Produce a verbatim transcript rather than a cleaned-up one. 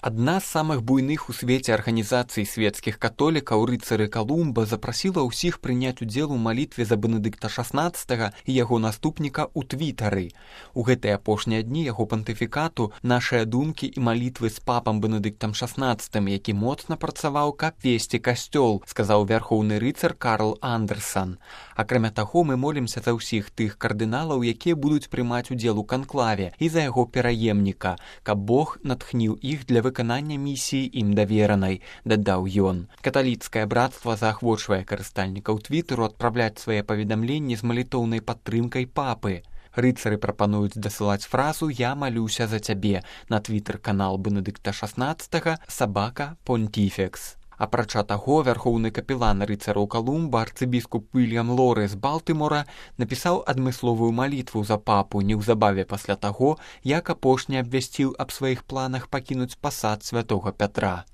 Адна з самых буйных у свеце арганізацый свецкіх католікаў рыцары Калумба запрасіла ўсіх прыняць удзел у малітве за Бенедыкта шаснаццатага і яго наступніка ў твітары. У гэтыя апошнія дні яго пантыфікату нашыя думкі і малітвы з папам Бенедыктам шаснаццатым, які моцна працаваў, каб весці касцёл, сказаў вярхоўны рыцар Карл Андерсан. Акрамя таго, мы молімся за ўсіх тых кардыналаў, якія будуць прымаць удзел у канклаве, і за яго пераемніка, каб Бог натхніў іх для выканання місіі ім даверанай, дадаў ён. Каталіцкае брацтва заахвочвае карыстальнікаў твіттеру адпраўляць свае паведамленні з малітоўнай падтрымкай папы. Рыцары прапануюць дасылаць фразу «Я малюся за цябе» на твиттер-канал Бенедыкта шаснаццатага «Сабака Понтифекс». Апрача таго, вярхоўны капелан рыцараў Калумба, арцыбіскуп Уільям Лоры з Балтымора, напісаў адмысловую малітву за папу неўзабаве пасля таго, як апошні абвясціў аб сваіх планах пакінуць пасад святога Пятра.